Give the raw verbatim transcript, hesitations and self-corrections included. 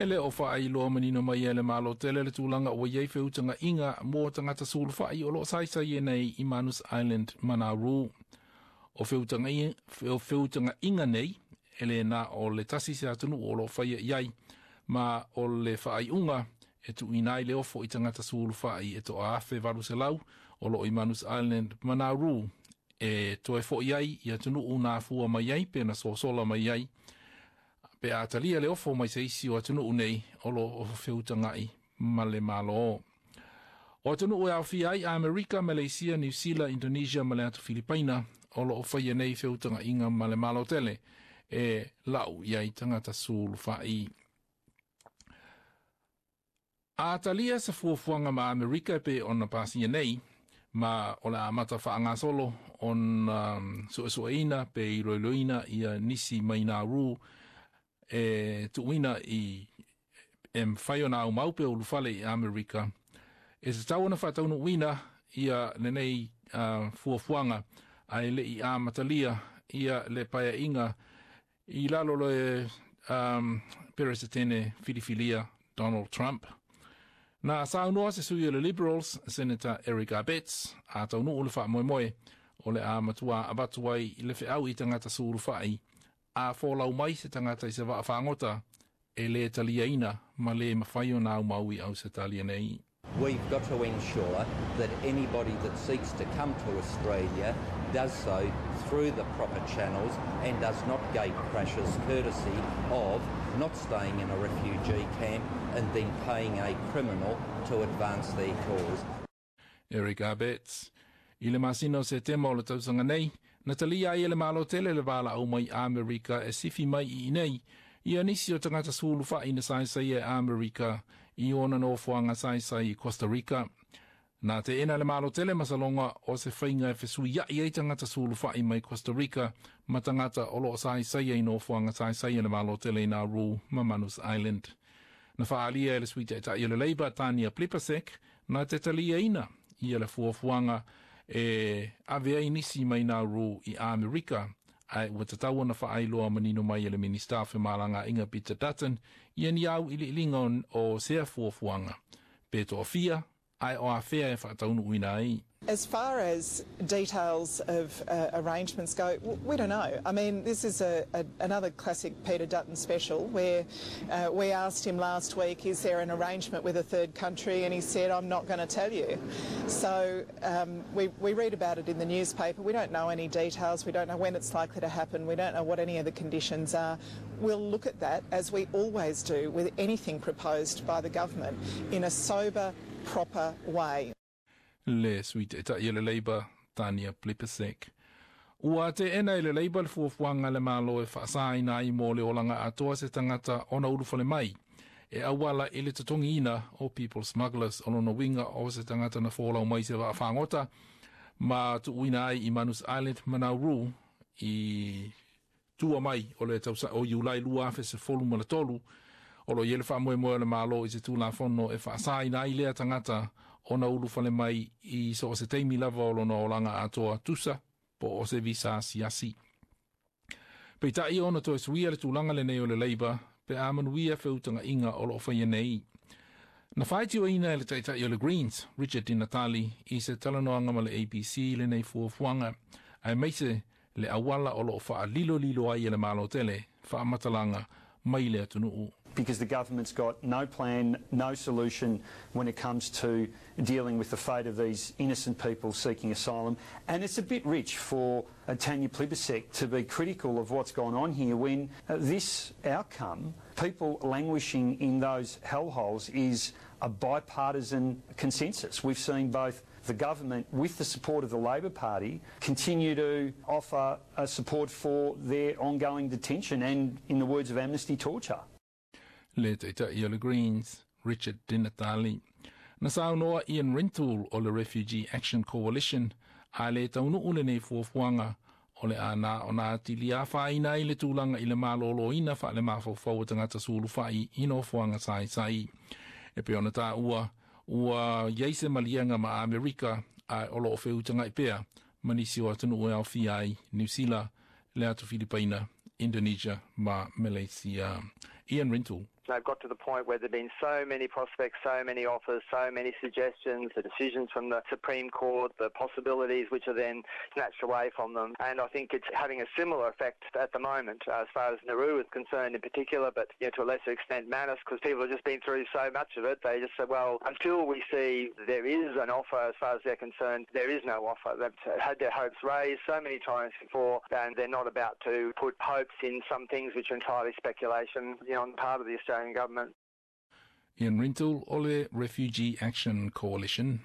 E le o faailoa manino mai e le Malo tele le tulaga ua iai feutaga'iga mo tagata sulufai o loo saisai e nei i Manus Island ma Nauru. O feutaga'iga nei e le na o le tasi se atunuu o loo faia i ai, ma o le faaiuga e tuuina ai le ofo i tagata sulufai e toa afe valu selau o loo i Manus Island ma Nauru e toe fo'i ai i atunuu na afua mai ai pe na sosola mai ai, pe a talia le ofo mai se isi o atunuu nei o loo feutaga'i ma le Malo. O atunuu e aofia ai Amerika, Malaysia, New Zealand, Indonesia ma le atu Filipaina o loo faia nei feutaga'iga ma le Malo tele e lau i ai tagata sulufai. A talia se fuafuaga ma Amerika pe ona pasia nei, ma o le amata faagasolo ona suesueina pe iloiloina ia nisi mai Nauru e tuuina i e mafai ona aumau pe ulufale i Amerika. E tatau ona faataunuuina ia lenei uh, fuafuaga ae le'i amatalia ia le paea'iga i lalo le um, Peresetene filifilia Donald Trump. Na saunoa se sui o le Liberals, Senator Eric Abetz, a taunuu le faamoemoe o le a matua avatu ai le feau i tagata sulufai a folau mai se tagata i se vaa fagota e lē taliaina ma lē mafai ona aumau i Ausetalia nei. We've got to ensure that anybody that seeks to come to Australia does so through the proper channels and does not gate crashes courtesy of not staying in a refugee camp and then paying a criminal to advance their cause. Eric Abetz. I le masina o Setema o le tausaga nei, na talia ai e le Malo tele le valaau mai Amerika e sifi mai i nei ia nisi o tagata sulufa'i na saisai e Amerika i ona nofoaga saisai i Costa Rica. Na teena le Malo tele masaloga o se faiga e fesuia'i ai tagata sulufa'i mai Costa Rica ma tagata o loo saisai ai nofoaga saisai e le Malo tele i Nauru ma Manus Island. Na faaalia e le sui taita'i o le Labour Tania Plibersek na te taliaina ia le fuafuaga e ave ai nisi mai Nauru i Amerika, ae ua tatau ona faailoa manino mai e le Minista o Femalagaaiga Peter Dutton ia ni au iliiliga o sea fuafuaga pe toafia ae o afea e faataunuuina ai. As far as details of uh, arrangements go, we don't know. I mean, this is a, a, another classic Peter Dutton special where uh, we asked him last week, is there an arrangement with a third country? And he said, I'm not going to tell you. So um, we, we read about it in the newspaper. We don't know any details. We don't know when it's likely to happen. We don't know what any of the conditions are. We'll look at that, as we always do with anything proposed by the government, in a sober, proper way. Le sui taita'i o le Labour Tania Plibersek. Ua teena e le Labour le fuafuaga le Malo e faasaina ai mo le olaga atoa se tagata ona ulufale mai e auala i le totogiina o people smugglers, o lona uiga o se tagata na folau mai se vaa fagota ma tuuina ai i Manus Island ma Nauru i tua mai o le tausa o Iulai lua afe sefulu ma le tolu. O lo i le faamoemoe o le Malo i se tulafono e faasaina ai lea tagata ona ulufale mai i so o se taimi lava o lona olaga atoa, tusa po o se visa asiasi. Peitai ona toe suia le tulaga lenei o le Labour pe a manuia feutaga'iga o loo faia nei. Na faitioina e le taita'i o le Greens, Richard Di Natale, i se talanoaga ma le A B C lenei fuafuaga, aemaise le auala o loo faalilolilo ai e le Malo tele faamatalaga mai le atunuu. Because the government's got no plan, no solution when it comes to dealing with the fate of these innocent people seeking asylum. And it's a bit rich for uh, Tanya Plibersek to be critical of what's gone on here when uh, this outcome, people languishing in those hellholes, is a bipartisan consensus. We've seen both the government, with the support of the Labor Party, continue to offer uh, support for their ongoing detention and, in the words of Amnesty, torture. Le taita'i o le Greens, Richard Di Natale. Na saunoa Ian Rintoul o le Refugee Action Coalition a le taunuu lenei fuafuaga o le ana o nā tili a whaina i le tulaga i le malōlōina fa le mafaufau o tagata sulufa'i i nofoaga saisai. E pe ona tā ua, ua iai se maliega ma Amerika a o loo feutaga'i pea ma nisi o atunuu e aofia ai Niu Sila, le atu Filipaina, Indonesia ma Malaysia. Ian Rintoul. They've got to the point where there have been so many prospects, so many offers, so many suggestions, the decisions from the Supreme Court, the possibilities which are then snatched away from them. And I think it's having a similar effect at the moment uh, as far as Nauru is concerned in particular, but you know, to a lesser extent Manus, because people have just been through so much of it. They just say, well, until we see there is an offer as far as they're concerned, there is no offer. They've had their hopes raised so many times before, and they're not about to put hopes in some things which are entirely speculation, you know, on the part of the Australian government. Ian Rintoul o le Refugee Action Coalition.